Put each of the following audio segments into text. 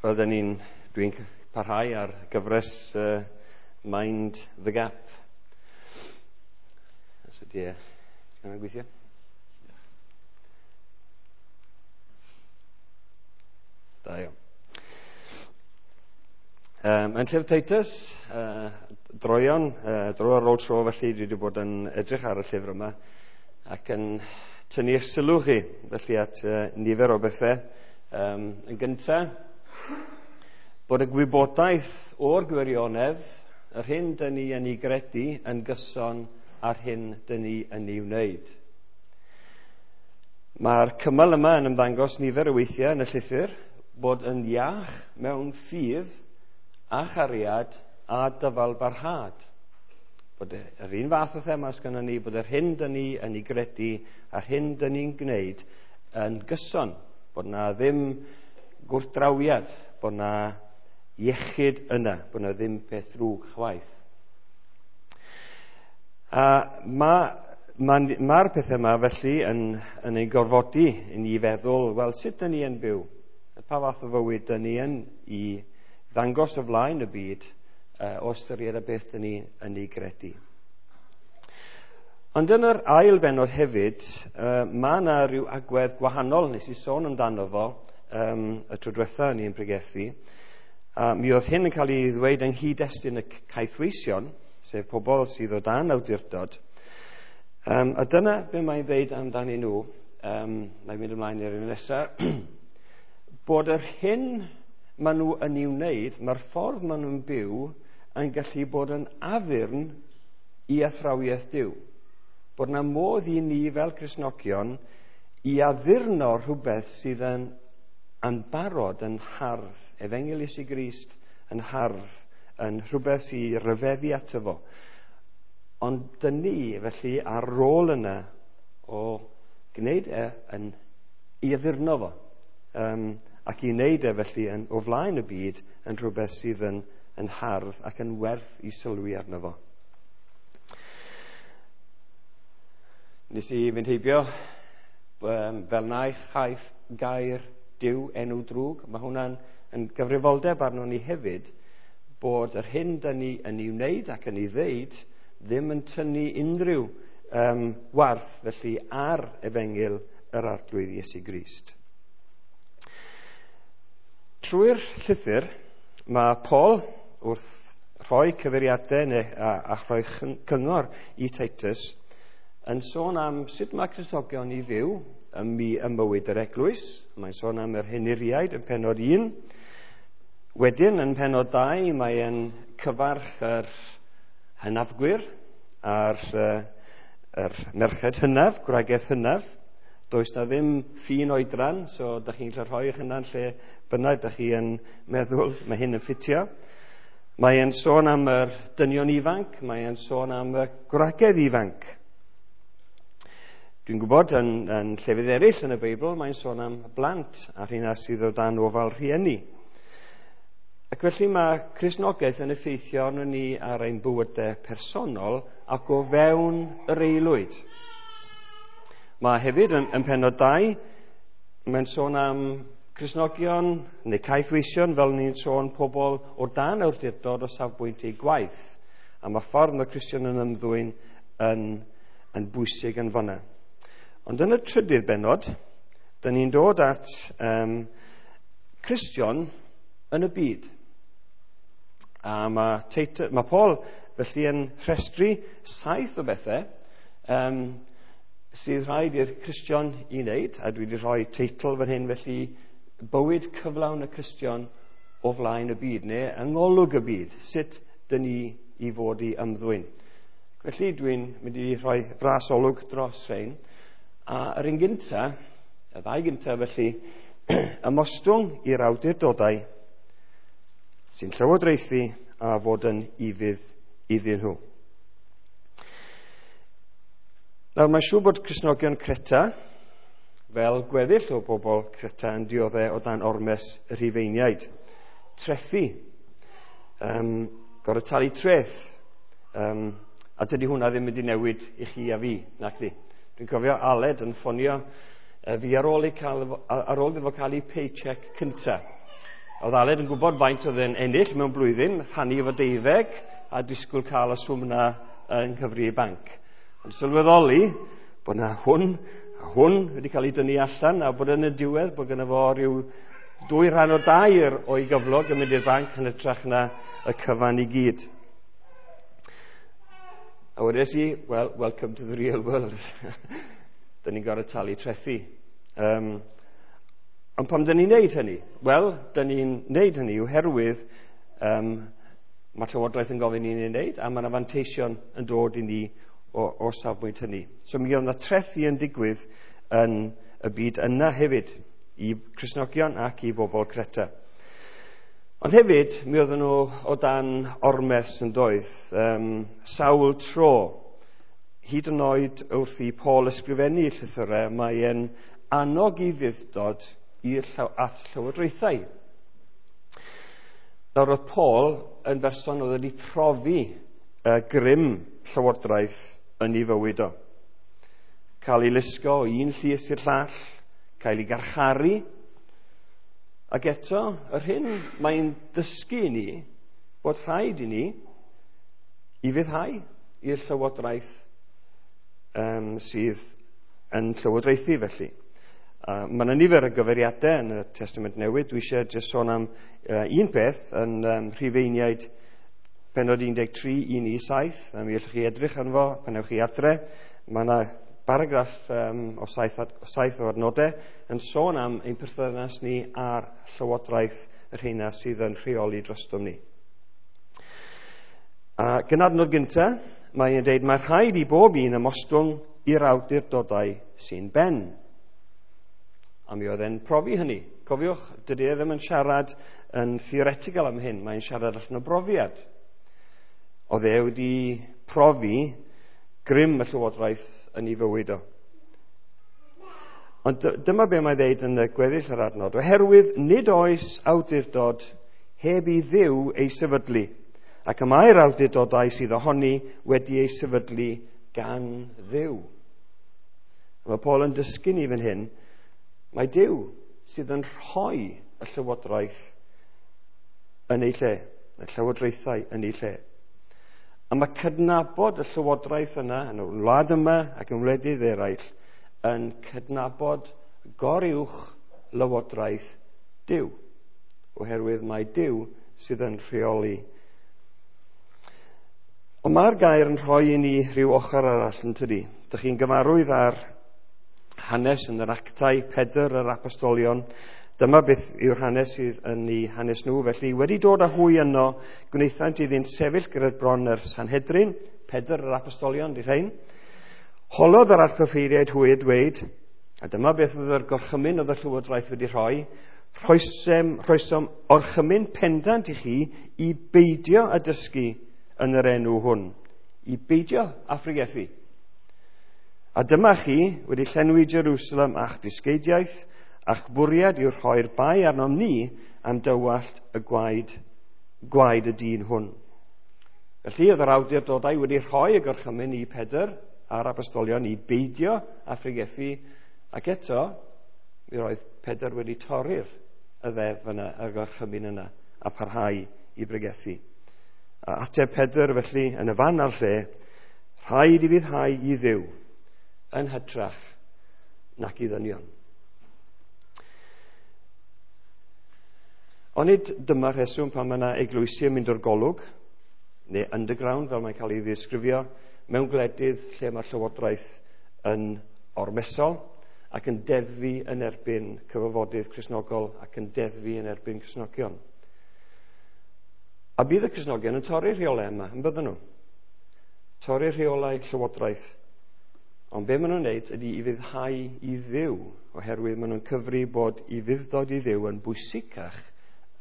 Wel, dwi'n parhau ar gyfres Mind the Gap. Os ydy e yn gweithio? Da iawn. Yn llyfr Titus, droeon, dro ar ôl tro felly, dwi wedi bod yn edrych ar y llyfr yma ac yn tynnu eich sylw chi felly at nifer o bethau. Yn gyntaf, bod y gwybodaeth o'r gwirionedd, yr hyn dyn ni yn ei gredu yn gyson a'r hyn dyn ni yn ei wneud. Mae'r cymal yma yn ymddangos nifer o weithiau yn y llythyr bod yn iach mewn ffydd a chariad a dyfalbarhad. Bod yr un fath o thema sgynnon ni, bod yr hyn dyn ni yn ei gredu a'r hyn dyn ni'n gwneud yn gyson, bod na ddim gwrthdrawiad, bod na iechyd yna, bod na ddim peth drwg chwaith. A mae'r pethau yma felly yn ein gorfodi i ni feddwl, wel, sut dyn ni yn byw? Pa fath o fywyd dyn ni yn i ddangos o flaen y byd o ystyried y beth dyn ni yn ei gredu. Ond yn yr ail bennod hefyd, mae yna rhyw agwedd gwahanol, nes i sôn amdano fo y tro diwetha ni'n pregethu. Mi oedd hyn yn cael ei ddweud yng nghyd-destun y caethweision, sef pobl sydd o dan awdurdod. A dyna be mae'n dweud amdanyn nhw, mae'n mynd ymlaen i'r un nesaf, bod yr hyn maen nhw yn ei wneud, mae'r ffordd maen nhw'n byw yn gallu bod yn addurn i athrawiaeth Duw. Bod yna modd i ni fel Cristnogion i addurno rhywbeth sydd yn barod, yn hardd, Efengyl Iesu Grist yn hardd, yn rhywbeth sy'n rhyfeddu ato fo. Ond dyn ni, felly, ar rôl yna o gwneud e yn i addurno fo. Ac i wneud e felly yn, o flaen y byd yn rhywbeth sydd yn hardd ac yn werth i sylwi arno fo. Nes i fynd heibio fel na chaiff gair Duw enw drwg. Mae hwnna'n yn gyfrifoldeb arnon ni hefyd bod yr hyn dyn ni yn ei wneud ac yn ei ddeud ddim yn tynnu unrhyw warth felly ar efengyl yr Arglwydd Iesu Grist. Trwy'r llythyr mae Paul wrth rhoi cyfeiriadau neu a rhoi cyngor i Titus yn sôn am sut mae Cristnogion i fyw ym mywyd yr eglwys. Mae'n sôn am yr henuriaid yn pennod 1. Wedyn yn pennod 2 mae'n cyfarch yr hynafgwyr a'r yr merched hynaf, gwragedd hynaf. Does na ddim ffin oedran, so da chi'n gallu rhoi eich hunan lle bynnag da chi yn meddwl mae hyn yn ffitio. Mae'n sôn am yr dynion ifanc, mae'n sôn am y gwragedd ifanc. Dwi'n gwybod yn llefydd eraill yn y Beibl, mae'n sôn am blant a rheina sydd o dan ofal rhieni. Ac felly mae Cristnogaeth yn effeithio arnon ni ar ein bywydau personol ac o fewn yr aelwyd. Mae hefyd yn pennod 2, mae'n sôn am Cristnogion neu caethweision, fel ni'n sôn pobl o dan awdurdod o safbwynt eu gwaith. A mae ffordd mae Cristion yn ymddwyn yn bwysig yn fanna. Ond yn y trydydd bennod, dyn ni'n dod at Cristion yn y byd. A mae Paul felly yn rhestru 7 o bethau sydd rhaid i'r Cristion i wneud, a dwi wedi rhoi teitl fan hyn felly, bywyd cyflawn y Cristion o flaen y byd, neu yng ngolwg y byd, sut dyn ni i fod i ymddwyn. Felly dwi'n mynd i rhoi fras olwg dros rhain. A yr un gynta, y ddau gynta felly, ymostwng i'r awdurdodau sy'n llywodraethu a fod yn ufudd iddyn nhw. Nawr, mae'n siŵr bod Cristnogion Creta, fel gweddill o bobl Creta, yn dioddef o dan ormes y Rhufeiniaid. Trethu, gorfod talu treth, a dydy hwnna ddim wedi newid i chi a fi, nac di. Dwi'n cofio Aled yn ffonio fi ar ôl iddo fo cael ei paycheck cynta. Oedd Aled yn gwybod faint oedd e'n ennill mewn blwyddyn, rhannu efo 12, a disgwyl cael y swm 'na yn cyfri ei banc. Ond sylweddoli bod na hwn a hwn wedi cael ei dynnu allan, a bod yn y diwedd bod gynno fo rhyw 2 3/4 o'i gyflog yn mynd i'r banc yn hytrach na y cyfan i gyd. A wedes i, "Well, welcome to the real world." Dyn ni'n gorfod talu trethi. Ond pam dyn ni'n neud hynny? Wel, dyn ni'n neud hynny oherwydd mae Llywodraeth yn gofyn i ni'n neud, a mae yna fanteision yn dod i ni o safbwynt hynny. So mi oedd yna trethi yn digwydd yn y byd yna hefyd, i Cristnogion ac i bobl Creta. Ond hefyd, mi oedden nhw o dan ormes yn doedd, sawl tro. Hyd yn oed wrth i Paul ysgrifennu llythyrau, mae e'n annog ufudd-dod i'r at llywodraethau. Nawr oedd Paul yn berson oedd wedi profi grym llywodraeth yn ei fywyd o. Cael ei lusgo o un llys i'r llall, cael ei garcharu, ac eto, yr hyn mae'n dysgu i ni, bod rhaid i ni ufuddhau i'r llywodraeth sydd yn llywodraethu felly. Mae yna nifer o gyfeiriadau yn y Testament Newydd. Dwi eisiau jyst sôn am un peth yn Rhufeiniaid penod 13, 1 i 7. A mi allwch chi edrych arno fo pan ewch chi adre. Mae yna paragraff o saith o adnodau yn sôn am ein perthynas ni a'r llywodraeth, y rheina sydd yn rheoli drostom ni. A gyda'r adnod gyntaf, mae'n dweud, "Mae rhaid i bob un ymostwng i'r awdurdodau sy'n ben." A mi oedd e'n profi hynny. Cofiwch, dydy e ddim yn siarad yn theoretical am hyn, mae'n siarad allan o brofiad. Oedd e wedi profi grym y llywodraeth yn ei fywyd o. Ond dyma be mae'n dweud yn y gweddill yr adnod. "Oherwydd nid oes awdurdod heb i Dduw ei sefydlu, ac y mae'r awdurdodau sydd ohoni wedi ei sefydlu gan Dduw." Mae Paul yn dysgu ni fan hyn, mae Duw sydd yn rhoi y llywodraeth yn ei lle, y llywodraethau yn ei lle. A mae cydnabod y llywodraeth yna yn y wlad yma ac yn wledydd eraill yn cydnabod goruwch lywodraeth Duw, oherwydd mae Duw sydd yn rheoli. Ond mae'r gair yn rhoi i ni rhyw ochr arall, yn tydi? Dych chi'n gyfarwydd ar hanes yn yr Actau, Pedr yr Apostolion. Dyma beth yw'r hanes sydd yn eu hanes nhw. "Felly, wedi dod â hwy yno, gwnaethant iddynt sefyll gyda'r bron yr Sanhedrin," Pedr yr Apostolion, di rhain. "Holodd yr archoffeiriaid hwy a dweud," a dyma beth oedd yr gorchymyn oedd y llywodraeth wedi rhoi, "rhoesom orchymyn pendant i chi i beidio â dysgu yn yr enw hwn." I beidio â phregethu. "A dyma chi wedi llenwi Jerusalem a'ch dysgeidiaeth, a'ch bwriad yw rhoi'r bai arnom ni am dywallt y gwaed, gwaed y dyn hwn." Felly, oedd yr awdurdodau wedi rhoi y gorchymyn i Pedr a'r apostolion i beidio â phregethu, ac eto, mi roedd Pedr wedi torri'r y ddeddf yna, y gorchymyn yna, a parhau i bregethu. A ateb Pedr felly, yn y fan a'r lle, "Rhaid ufuddhau i Dduw yn hytrach nac i ddynion." Onid dyma'r rheswm pan mae yna eglwysi yn mynd o'r golwg, neu underground fel mae'n cael ei ddisgrifio, mewn gwledydd lle mae'r llywodraeth yn ormesol ac yn deddfu yn erbyn cyfarfodydd Cristnogol ac yn deddfu yn erbyn Cristnogion? A bydd y Cristnogion yn torri'r rheolau yma, yn bydden nhw? Torri'r rheolau llywodraeth. Ond be maen nhw'n wneud ydy ufuddhau i Dduw, oherwydd maen nhw'n cyfri bod ufudd-dod i Dduw yn bwysicach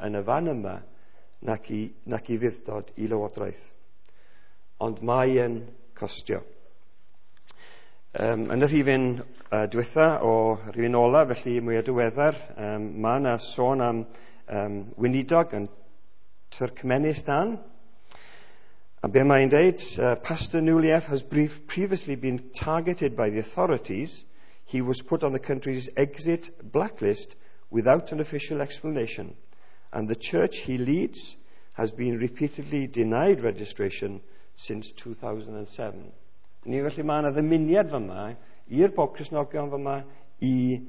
yn y fan yma nac ufudd-dod i lywodraeth. Ond mae yn costio. Yn y rhifyn diwetha o rhifyn ola, felly mwy o diweddar, mae yna sôn am weinidog yn Turkmenistan. A be mae'n dweud, "Pastor Nuliev has previously been targeted by the authorities. He was put on the country's exit blacklist without an official explanation. And the church he leads has been repeatedly denied registration since 2007. Ni felly mae yna ddymuniad fyma i'r bob Cristnogion fyma i,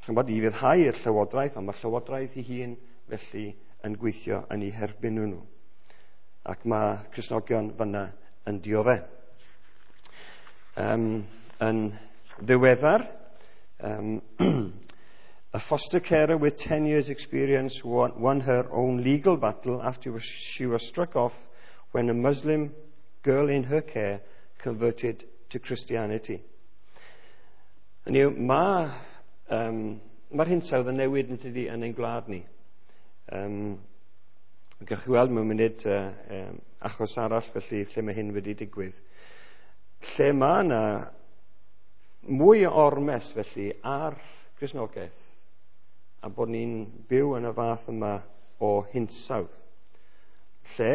chymod, i fyddhau i'r llywodraeth, ond mae'r llywodraeth ei hun felly yn gweithio yn eu herbyn nhw. Ac mae Cristnogion fyna yn dioddef. Yn ddiweddar, a foster carer with 10 years' experience won her own legal battle after she was struck off when a Muslim girl in her care converted to Christianity. Hynny yw, mae'r hinsawdd yn newid yn tydi yn ein gwlad ni. Gewch chi weld mewn munud achos arall felly lle mae hyn wedi digwydd. Lle mae yna mwy o ormes felly ar Gristnogaeth a bod ni'n byw yn y fath yma o hinsawdd. Lle,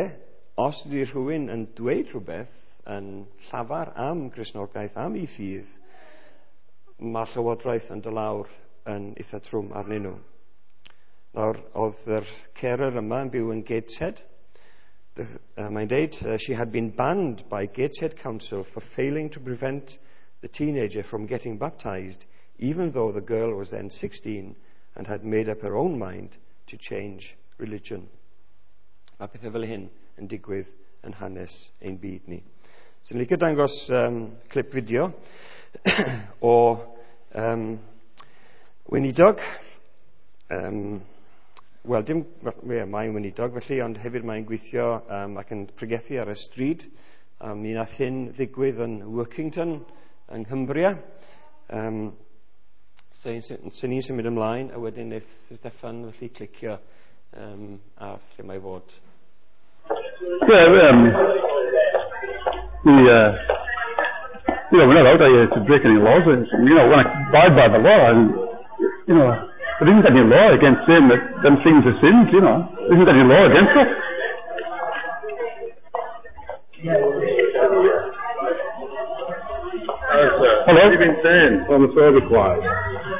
os ydy rhywun yn dweud rhywbeth yn llafar am Gristnogaeth, am ei ffydd, mae llywodraeth yn dod lawr yn eitha trwm arnyn nhw. Nawr, oedd yr carer yma yn byw yn Gateshead. Mae'n deud, she had been banned by Gateshead Council for failing to prevent the teenager from getting baptized, even though the girl was then 16 and had made up her own mind to change religion. Mae pethau fel hyn yn digwydd yn hanes ein byd ni. So, ni'n licio dangos clip fideo o weinidog. Wel, dim, well, mae'n weinidog felly, ond hefyd mae'n gweithio ac yn pregethu ar y stryd. Mi nath hyn ddigwydd yn Workington yng Nghymbria. So, so ni'n symud ymlaen, a wedyn wneith Steffan felly clicio ar lle mae fod. Yeah, we're not out here to break any laws. We want to abide by the law, and there isn't any law against saying that them things are sins. There isn't any law against it. Hello? What have you been saying, homophobic wise?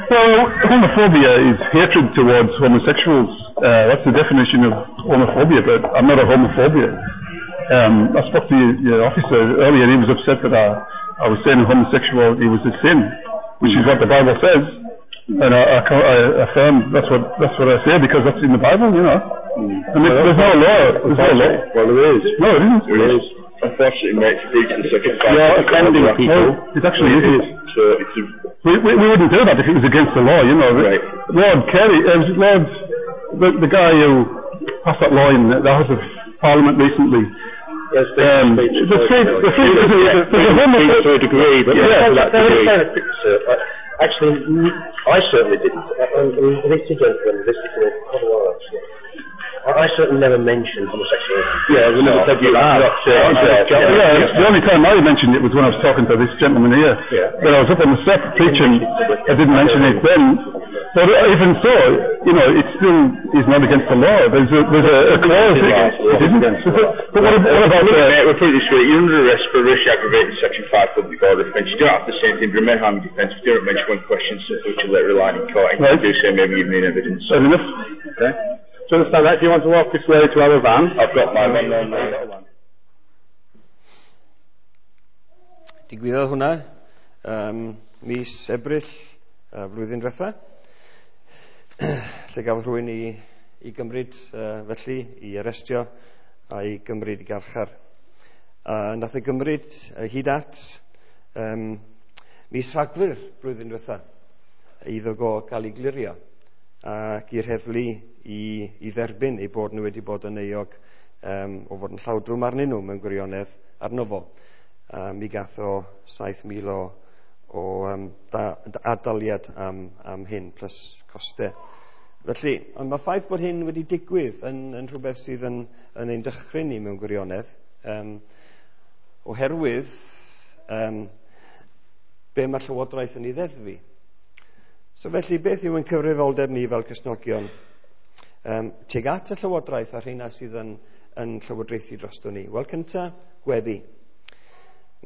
Well, homophobia is hatred towards homosexuals. That's the definition of homophobia, but I'm not a homophobia. I spoke to your officer earlier, and he was upset that I was saying homosexuality was a sin, which is what the Bible says. And I affirm that's what I say because that's in the Bible. I mean, there's no law. There's no law. Well, there is. No, it isn't. There is. Unfortunately, mate, it's a breach of the second You're offending people. No, it actually isn't. So it's a We wouldn't do that if it was against the law. Right. Lord Kerry, Lord, the guy who passed that law in the House of Parliament recently. Yes, the free, there's a to a degree, but not to that degree. Sir, actually, I certainly didn't. And this gentleman, this is quite a while actually. I certainly never mentioned homosexuality. Yeah, we never said you have. Yeah, the only time I mentioned it was when I was talking to this gentleman here. When I was up on the step preaching, I didn't mention it then. But even so, it still is not against the law. There's a clause. It isn't. But what about Look, mate, we'll put it this way. You're under arrest for racially aggravated Section 5 public order offence. You don't have to say anything, but may harm your defence. If you don't mention one question, simply to let rely in court. And you do say maybe you've made evidence. Fair enough. Okay. Do you understand that? Do you want to walk this way to our van? I've got my van. No, no. Digwyddodd hwnna mis Ebrill flwyddyn diwetha, lle gafodd rhywun i gymryd felly, i arestio a i gymryd i garchar. Nath e gymryd hyd at mis Rhagfyr blwyddyn diwetha iddo go gael ei glirio ac i'r heddlu i dderbyn eu bod nhw wedi bod yn euog o fod yn llawdrwm arnyn nhw mewn gwirionedd arno fo. Mi gath o 7,000 o ad-daliad am hyn, plus costau. Felly, ond mae ffaith bod hyn wedi digwydd yn rhywbeth sydd yn ein dychryn ni mewn gwirionedd, oherwydd be mae Llywodraeth yn ei ddeddfu. So felly, beth yw ein cyfrifoldeb ni fel Cristnogion tuag at y Llywodraeth a rheina sydd yn llywodraethu drosto ni? Wel, cynta, gweddi.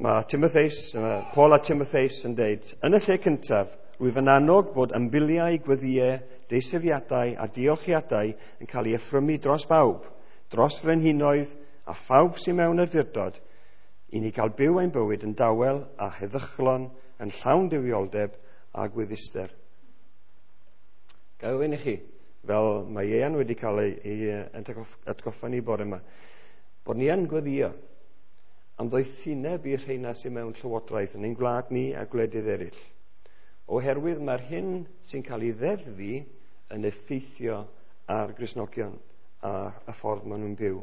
Mae Timotheus, Paul a Timotheus yn deud, yn y lle cyntaf, Rwyf yn annog bod ymbiliau, gweddïau, deisyfiadau a diolchiadau yn cael ei offrymu dros bawb, dros frenhinoedd a phawb sy'n mewn awdurdod, i ni gael byw ein bywyd yn dawel a heddychlon, yn llawn duwioldeb a gwedduster. Gael ofyn i chi, fel mae Ieuan wedi cael ei atgoffa ni bore yma, bod ni yn gweddio am ddoethineb i'r rheina sy'n mewn llywodraeth yn ein gwlad ni a gwledydd eraill. Oherwydd mae'r hyn sy'n cael ei ddeddfu yn effeithio ar Gristnogion a y ffordd maen nhw'n byw.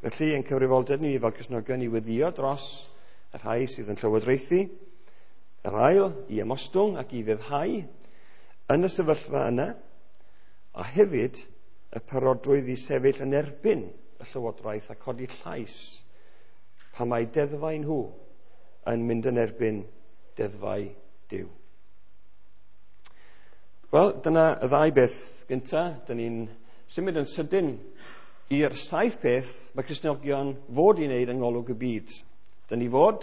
Felly, ein cyfrifoldeb ni fel Cristnogion i weddio dros y rhai sydd yn llywodraethu, yr ail i ymostwng ac i fyddhau yn y sefyllfa yna, a hefyd y parodrwydd i sefyll yn erbyn y llywodraeth a codi llais pan mae deddfau nhw yn mynd yn erbyn deddfau Duw. Wel, dyna y ddau beth gynta. Dyn ni'n symud yn sydyn i'r 7 peth mae Cristnogion fod i wneud yng ngolwg y byd. Dyn ni fod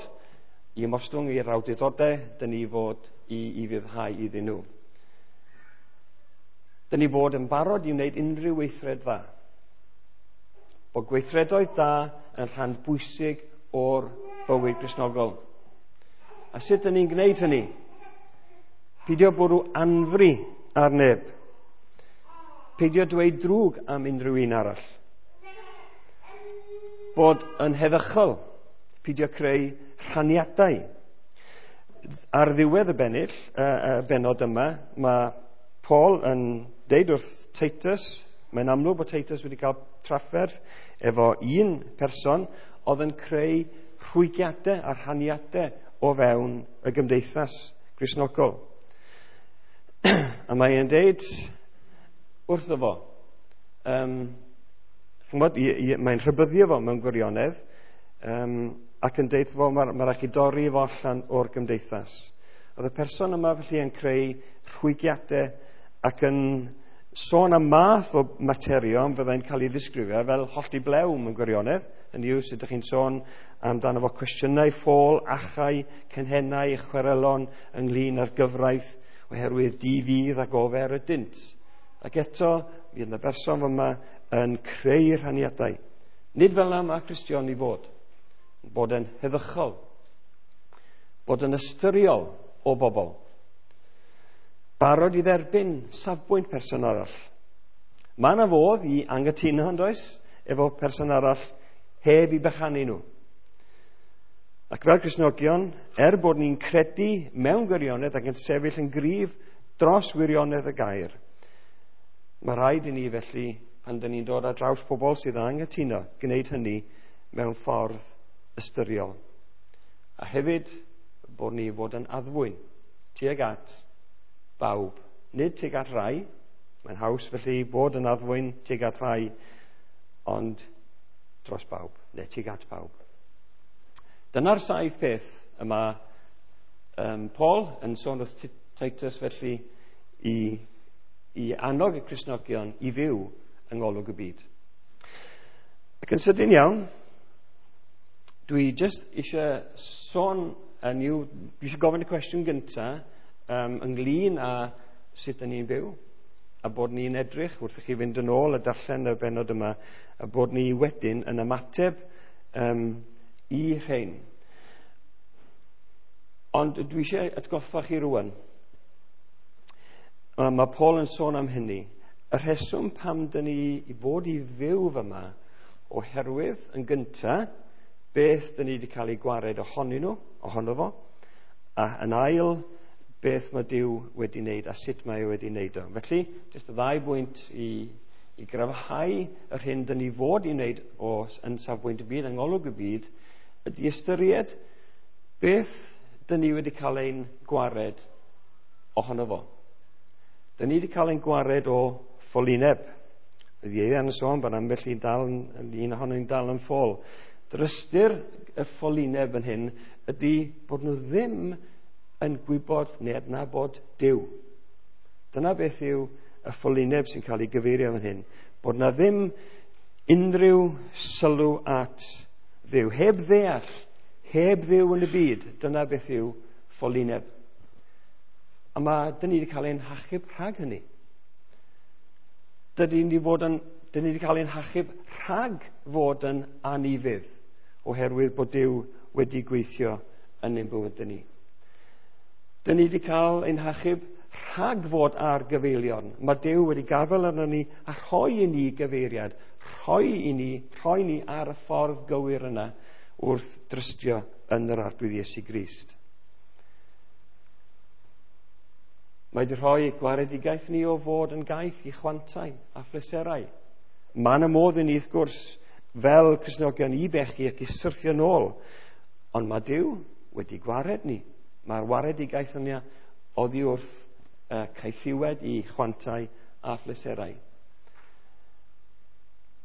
i ymostwng i'r awdurdodau, dyn ni fod i fyddhau iddyn nhw. Dyn ni fod yn barod i wneud unrhyw weithred dda. Bod gweithredoedd da yn rhan bwysig o'r bywyd Cristnogol. A sut dyn ni'n gwneud hynny? Peidio bwrw anfri ar neb. Peidio dweud drwg am unrhyw un arall. Bod yn heddychol. Peidio creu rhaniadau. Ar ddiwedd y bennill, y bennod yma, mae Paul yn deud wrth Titus, mae'n amlwg bod Titus wedi cael trafferth efo un person oedd yn creu rhwygiadau a rhaniadau o fewn y gymdeithas Gristnogol. A mae'n deud wrtho fo, mae'n rhybuddio fo mewn gwirionedd, ac yn deud fo, mae rhaid chi dorri fo allan o'r gymdeithas. Oedd y person yma felly yn creu rhwygiadau ac yn sôn am math o materion fyddai'n cael ei ddisgrifio fel hollti blew mewn gwirionedd. Yn yw sut ydych chi'n sôn amdano fo cwestiynau ffôl, achau, cynhennau, chwerelon ynglyn â'r gyfraith oherwydd di-fudd ac ofer ydynt. Ac eto, fydd yna berson yma yn creu rhaniadau. Nid fel yna mae Cristion i fod. Bod yn heddychol. Bod yn ystyriol o bobl. Barod i dderbyn safbwynt person arall. Mae yna fodd i anghytuno, yn does, efo person arall heb i bychanu nhw. Ac fel Cristnogion, bod ni'n credu mewn gwirionedd ac yn sefyll yn gryf dros wirionedd y gair, mae rhaid i ni felly, pan dyn ni'n dod ar draws pobl sydd yn anghytuno, gwneud hynny mewn ffordd ystyriol. A hefyd, bod ni fod yn addfwyn tuag at bawb, nid tuag at rai. Mae'n haws felly bod yn addfwyn tuag at rai, ond dros bawb, neu tuag at bawb. Dyna'r 7 peth y mae Paul yn sôn wrth Titus felly i annog y Cristnogion i fyw yng ngolwg y byd. Ac yn sydyn iawn, dwi jyst eisiau sôn yn yw, dwi eisiau gofyn y cwestiwn gyntaf ynglyn â sut ydyn ni'n byw, a bod ni'n edrych wrth i chi fynd yn ôl a darllen y bennod yma, a bod ni wedyn yn ymateb i rhain. Ond dwi eisiau atgoffa chi rwan. Mae Paul yn sôn am hynny. Y rheswm pam dyn ni i fod i fyw fyma, oherwydd yn gynta, beth dyn ni wedi cael ei gwared ohonyn nhw, ohono fo, a yn ail, beth mae Duw wedi wneud a sut mae e wedi wneud o. Felly, jyst y ddau bwynt i gryfhau yr hyn dyn ni fod i wneud o yn safbwynt y byd, yng ngolwg y byd, ydy ystyried beth dyn ni wedi cael ein gwared ohono fo. Dyn ni wedi cael ein gwared o ffolineb. Oedd Ieuan yn sôn bod ambell un dal un ohonyn ni'n dal yn ffôl. Drystyr y ffolineb yn hyn ydy bod nhw ddim yn gwybod neu adnabod Duw. Dyna beth yw y ffolineb sy'n cael ei gyfeirio fan hyn. Bod na ddim unrhyw sylw at Dduw. Heb ddeall, heb Dduw yn y byd, dyna beth yw ffolineb. A mae, dyn ni wedi cael ein hachub rhag hynny. Dyn ni wedi cael ein hachub rhag fod yn anufudd, oherwydd bod Duw wedi gweithio yn ein bywydau ni. Dyn ni wedi cael ein hachub rhag fod ar gyfeilion. Mae Duw wedi gafael arno ni a rhoi i ni gyfeiriad, rhoi ni ar y ffordd gywir yna wrth drystio yn yr Arglwydd Iesu Grist. Mae wedi rhoi gwaredigaeth ni o fod yn gaeth i chwantau a phleserau. Mae yna modd i ni, wrth gwrs, fel Cristnogion i bechu ac i syrthio nôl, ond mae Duw wedi gwared ni. Mae'r waredigaeth yna oddi wrth caethiwed i chwantau a phleserau.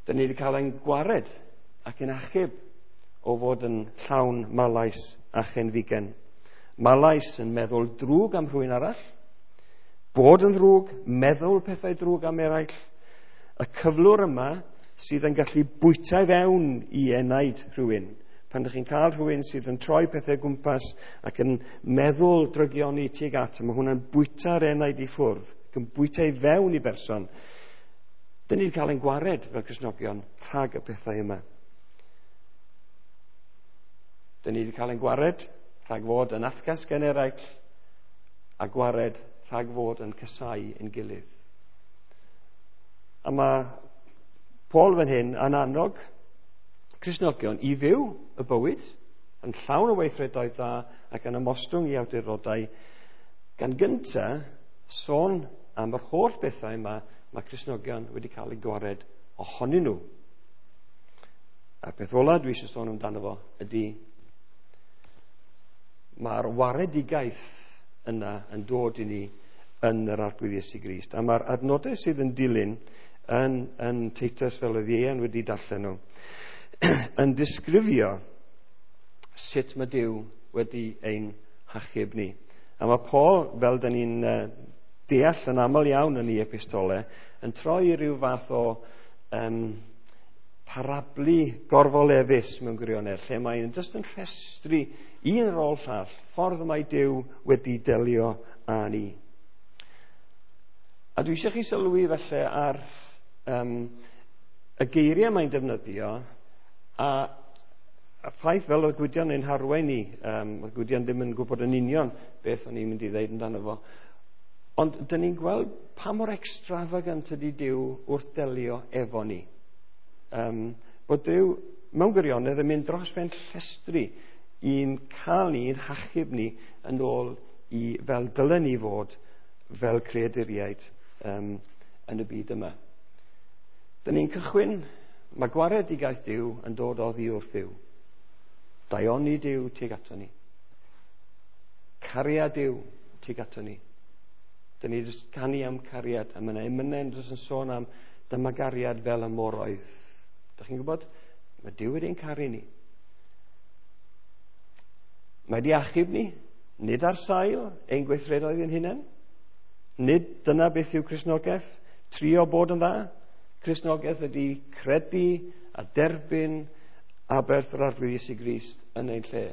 Dyn ni wedi cael ein gwared ac yn achub o fod yn llawn malais a chenfigen. Malais yn meddwl drwg am rhywun arall, bod yn ddrwg, meddwl pethau drwg am eraill. Y cyflwr yma sydd yn gallu bwyta i fewn i enaid rhywun. Pan ydych chi'n cael rhywun sydd yn troi pethau gwmpas ac yn meddwl drygioni tuag at, mae hwnna'n bwyta'r enaid i ffwrdd, ac yn bwyta i fewn i berson. Dyn ni'n cael ein gwared fel Cristnogion rhag y pethau yma. Dyn ni wedi cael ein gwared rhag fod yn atgas gen eraill a gwared rhag fod yn casau ein gilydd. A mae Paul fan hyn yn annog Cristnogion i fyw y bywyd yn llawn o weithredoedd dda ac yn ymostwng i awdurdodau, gan gynta sôn am yr holl bethau yma mae Cristnogion wedi cael eu gwared ohonyn nhw. A'r peth ola dwi eisiau sôn amdano fo ydy mae'r waredigaeth yna yn dod i ni yn yr Arglwydd Iesu Grist. A mae'r adnodau sydd yn dilyn yn Titus, fel oedd Ieuan wedi darllen nhw, yn disgrifio sut mae Duw wedi ein hachub ni. A mae Paul, fel dyn ni'n deall yn aml iawn yn ei epistolau, yn troi i ryw fath o parablu gorfolefus mewn gwirionedd, lle mae'n jyst yn rhestru un ar ôl llall, ffordd mae Duw wedi delio â ni. A dwi eisiau chi sylwi felly ar y geiriau mae'n defnyddio, a ffaith fel oedd Gwydion ein harwain ni, oedd Gwydion ddim yn gwybod yn union beth o'n i'n mynd i ddeud amdano fo, ond dyn ni'n gweld pa mor extravagant ydy Duw wrth delio efo ni. Bod Duw mewn gwirionedd yn mynd dros ben llestri i'n cael ni, i'n hachub ni yn ôl i fel dylen ni fod fel creaduriaid yn y byd yma. Dyn ni'n cychwyn, mae gwaredigaeth Duw yn dod oddi wrth Dduw. Daioni Duw tuag ato ni. Cariad Duw tuag ato ni. Dyn ni jyst canu am cariad, a mae yna emynau jyst yn sôn am dyma gariad fel y moroedd. Dych chi'n gwybod? Mae Duw wedi'n caru ni. Mae wedi achub ni, nid ar sail ein gweithredoedd ein hunain. Nid dyna beth yw Cristnogaeth, trio bod yn dda. Cristnogaeth ydy credu a derbyn aberth yr Arglwydd Iesu Grist yn ein lle.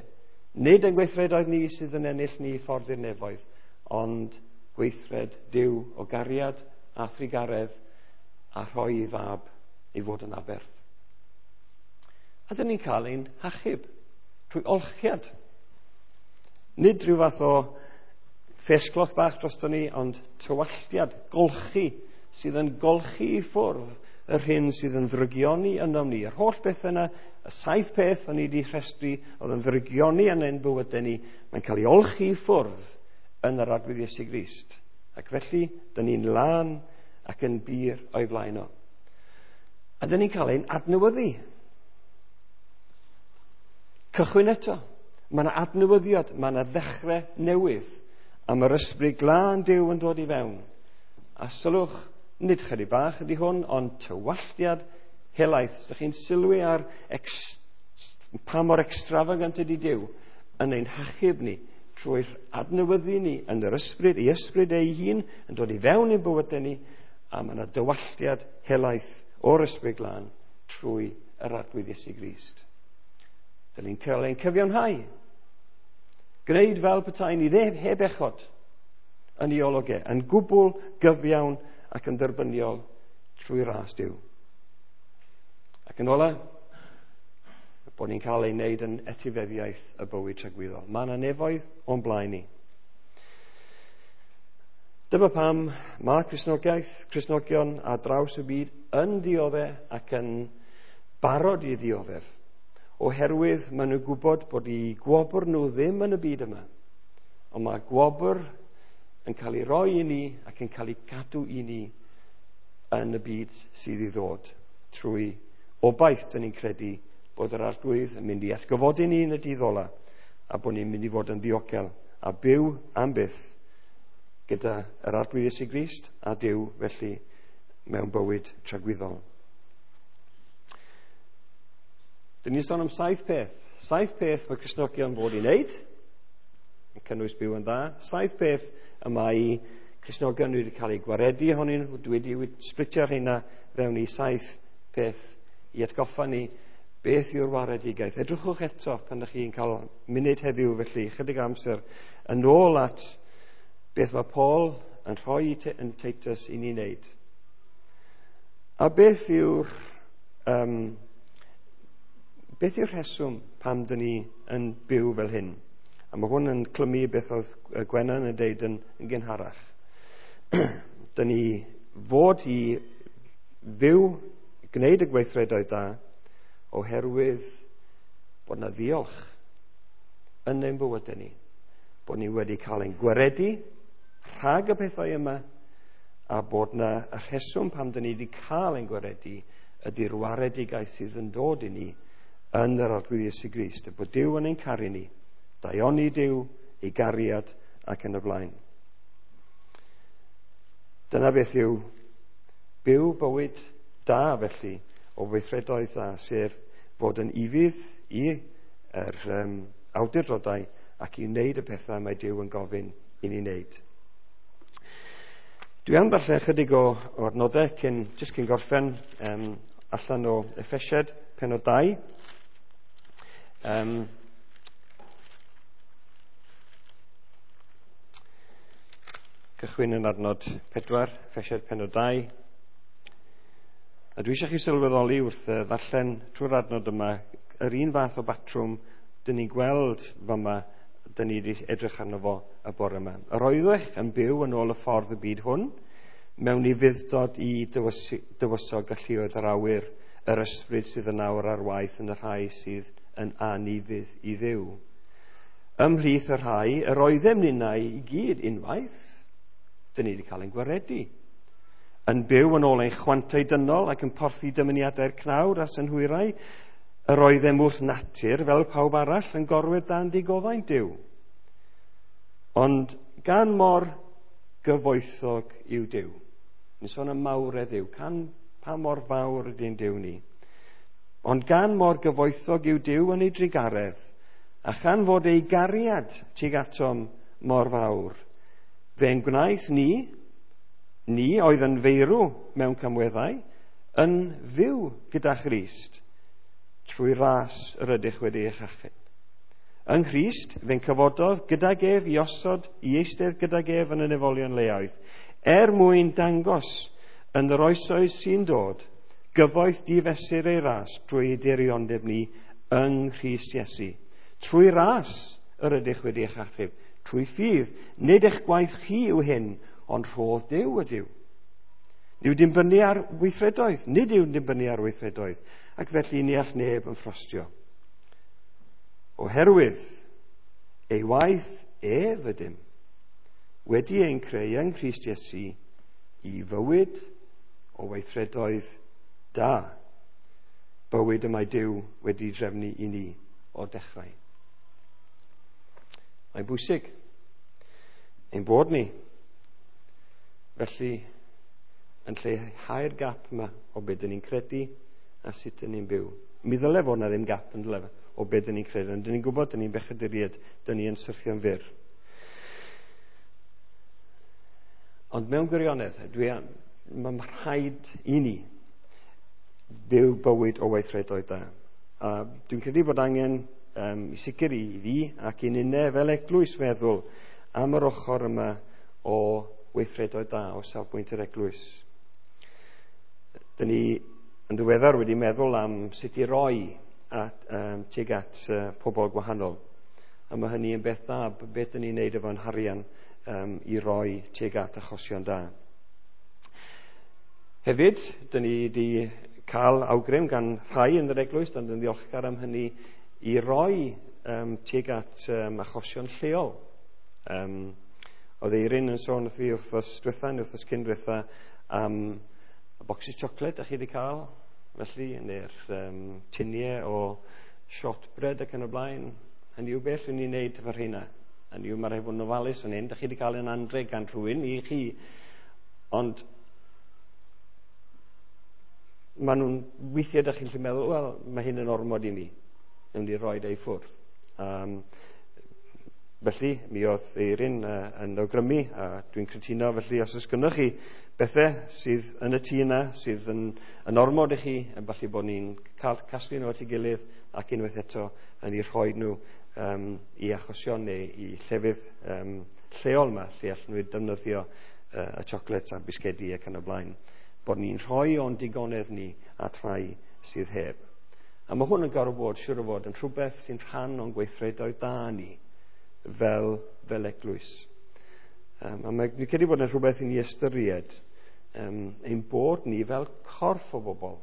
Nid ein gweithredoedd ni sydd yn ennill ni ffordd i'r nefoedd, ond gweithred Duw o gariad a thrugaredd a rhoi ei fab i fod yn aberth. A dyn ni'n cael ein hachub trwy olchiad. Nid rhyw fath o ffesgloth bach drosto ni, ond tywalltiad, golchi, sydd yn golchi i ffwrdd yr hyn sydd yn ddrygioni ynom ni. Yr holl beth yna, y 7 peth o'n i wedi rhestru oedd yn ddrygioni yn ein bywydau ni, mae'n cael ei olchi i ffwrdd yn yr Arglwydd Iesu Grist. Ac felly, dyn ni'n lân ac yn bur o'i flaen o. A dyn ni'n cael ein adnewyddu. Cychwyn eto. Mae yna adnewyddiad, mae yna ddechrau newydd. A mae'r ysbryd glân Duw yn dod i fewn. A sylwch, nid chydig bach ydy hwn, ond tywalltiad helaeth. Os ydych chi'n sylwi ar pa mor extravagant ydy Duw yn ein hachub ni trwy'r adnewyddu ni yn yr ysbryd, ei ysbryd ei hun yn dod i fewn i'n bywydau ni, a mae yna dywalltiad helaeth o'r ysbryd glân trwy yr Arglwydd Iesu Grist. Dyn ni'n cael ein cyfiawnhau. Gwneud fel petai ni heb echod. yn ei olwg e, yn gwbl gyfiawn ac yn dderbyniol trwy ras Duw. Ac yn ola, bod ni'n cael ei wneud yn etifeddiaeth y bywyd tragwyddol. Mae yna nefoedd o'n blaen ni. Dyma pam mae Cristnogaeth, Cristnogion ar draws y byd yn dioddef ac yn barod i ddioddef, oherwydd maen nhw'n gwybod bod eu gwobr nhw ddim yn y byd yma, ond mae gwobr yn cael ei roi i ni ac yn cael ei gadw i ni yn y byd sydd i ddod trwy obaith dyn ni'n credu bod yr Arglwydd yn mynd i atgyfodi ni yn y dydd ola a bod ni'n mynd i fod yn ddiogel a byw am byth gyda yr Arglwydd Iesu Grist a Duw felly mewn bywyd tragwyddol. Dyn ni'n sôn am 7 peth. 7 peth mae Cristnogion fod i wneud, yn cynnwys byw yn dda. 7 peth y mae Cristnogion wedi cael eu gwaredu ohonyn nhw. Dwi wedi splitio'r rheina fewn i 7 peth i atgoffa ni beth yw'r waredigaeth. Edrychwch eto pan ydych chi'n cael munud heddiw, felly chydig amser yn ôl at beth mae Paul yn rhoi yn Titus i ni wneud. A beth yw'r rheswm pam dyn ni yn byw fel hyn? A mae hwn yn clymu beth oedd Gwennan yn deud yn gynharach. Dyn ni fod i fyw, gwneud y gweithredoedd da, oherwydd bod na ddiolch yn ein bywydau ni, bod ni wedi cael ein gwaredu rhag y pethau yma, a bod na y rheswm pam dyn ni wedi cael ein gwaredu ydy'r waredigaeth sydd yn dod i ni yn yr Arglwydd Iesu Grist, bod Duw yn ein caru ni, daioni Duw, ei gariad ac yn y blaen. Dyna beth yw byw bywyd da felly, o weithredoedd dda, sef bod yn ufudd i'r awdurdodau ac i wneud y pethau mae Duw yn gofyn i ni wneud. Dwi am ddarllen chydig o adnodau cyn gorffen allan o Effesiaid pennod 2. Cychwyn yn adnod 4, Effesiaid pennod 2. A dwi eisiau chi sylweddoli wrth ddarllen trwy'r adnod yma yr un fath o batrwm dyn ni'n gweld fama, dyn ni wedi edrych arno fo y bore yma. Yr oeddech yn byw yn ôl y ffordd y byd hwn, mewn ufudd-dod i dywysog galluoedd yr awyr, yr ysbryd sydd yn awr ar waith yn y rhai sydd yn anufudd i Dduw. Ymhlith y rhai, yr oeddem ninnau i gyd unwaith, dyn ni wedi cael ein gwaredu, yn byw yn ôl ein chwantau dynol ac yn porthi dymuniadau'r cnawd a'r synhwyrau, yr oeddem wrth natur, fel pawb arall, yn gorwedd dan digofaint Duw. Ond gan mor gyfoethog yw Duw. Ni'n sôn am mawredd Duw, pa mor fawr ydy'n Duw ni. Ond gan mor gyfoethog yw Duw yn ei drugaredd, a chan fod ei gariad tuag atom mor fawr, fe'n gwnaeth ni oedd yn feirw mewn camweddau, yn fyw gyda Christ, trwy ras yr ydych wedi eich achub. Yng Nghrist, fe'n cyfododd gydag ef i osod i eistedd gydag ef yn y nefolion leoedd, er mwyn dangos yn yr oesoedd sy'n dod, gyfoeth difesur ei ras drwy ei diriondeb ni yng Nghrist Iesu. Trwy ras yr ydych wedi eich achub, trwy ffydd, nid eich gwaith chi yw hyn, ond rhodd Duw ydyw. Nid yw'n dibynnu ar weithredoedd, nid yw'n dibynnu ar weithredoedd, ac felly ni all neb yn ffrostio. Oherwydd ei waith ef ydym, wedi ein creu yng Nghrist Iesu i fywyd o weithredoedd da, bywyd y mae Duw wedi drefnu i ni o'r dechrau. Mae'n bwysig ein bod ni felly yn lleihau'r gap yma o beth dyn ni'n credu a sut dyn ni'n byw. Mi ddyle fod na ddim gap yn dyle o beth dyn ni'n credu, ond dyn ni'n gwybod dyn ni'n bechaduriaid, dyn ni yn syrthio'n fyr. Ond mewn gwirionedd, mae'n rhaid i ni byw bywyd o weithredoedd da. A dwi'n credu bod angen i sicr i fi ac i ninne fel eglwys feddwl am yr ochr yma o weithredoedd da o safbwynt yr eglwys. Dyn ni yn ddiweddar wedi meddwl am sut i roi tuag at pobl gwahanol. A mae hynny yn beth dda, beth dyn ni'n neud efo'n harian i roi tuag at achosion da. Hefyd, dyn ni wedi cael awgrym gan rhai yn yr eglwys, dan yn ddiolchgar am hynny, i roi tuag at achosion lleol. Oedd Eirin yn sôn wrth fi wythnos diwetha, neu wythnos cyn diwetha, am y bocsys siocled da chi wedi cael, felly, neu'r tiniau o shortbread ac yn y blaen. Hynny yw beth ni'n neud efo'r rheina. Hynny yw, mae rhaid fod yn ofalus yn hyn. Da chi wedi cael yn anrheg gan rhywun i chi. Ond maen nhw'n weithiau da chi'n gallu meddwl, wel, mae hyn yn ormod i mi. Newn ni roi ei ffwrdd. Felly, mi oedd Eirin yn awgrymu, a dwi'n cytuno, felly os oes gynnoch chi bethau sydd yn y tŷ yna, sydd yn ormod i chi, yn falle bod ni'n cael casglu nhw at ei gilydd ac unwaith eto yn eu rhoi nhw i achosion neu i llefydd lleol yma, lle allan nhw defnyddio y siocled a'r bisgedi ac yn y blaen. Bod ni'n rhoi o'n digonedd ni at rhai sydd heb. A mae hwn yn gorfod bod, siŵr o fod, yn rhywbeth sy'n rhan o'n gweithredoedd da ni fel eglwys. A mae'n credu bod yn rhywbeth i ni ystyried ein bod ni fel corff o bobl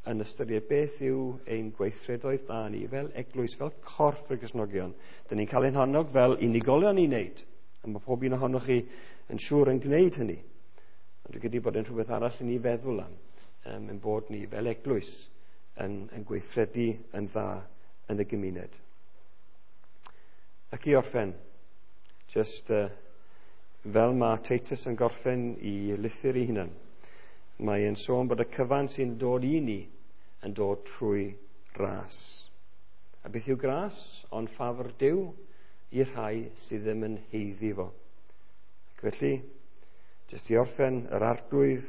yn ystyried beth yw ein gweithredoedd da ni fel eglwys, fel corff y Cristnogion. Dyn ni'n cael ein hannog fel unigolion i wneud, a mae pob un ohonoch chi yn siŵr yn gwneud hynny. Ond dwi'n credu bod yn rhywbeth arall i ni feddwl am, ein bod ni fel eglwys yn gweithredu yn dda yn y gymuned. Ac i orffen, just fel mae Titus yn gorffen i lythyr ei hunan, mae e'n sôn bod y cyfan sy'n dod i ni yn dod trwy ras. A beth yw gras? Ond ffafr Duw i'r rhai sydd ddim yn haeddu fo. Ac felly, jyst i orffen, yr Arglwydd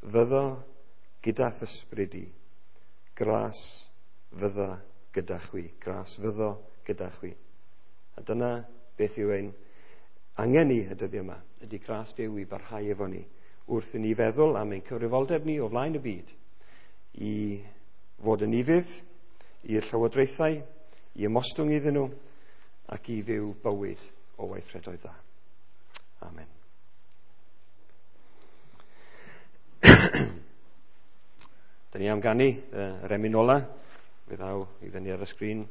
fyddo gyda th'ysbryd i. Gras fydda gyda chwi. Gras fyddo gyda chwi. A dyna beth yw ein angen ni y dyddiau yma, ydy gras Duw i barhau efo ni, wrth i ni feddwl am ein cyfrifoldeb ni o flaen y byd, i fod yn ufudd i'r llywodraethau, i ymostwng iddyn nhw, ac i fyw bywyd o weithredoedd dda. Amen. Dyn ni am ganu yr emyn ola, fe ddaw i fyny ar y sgrin.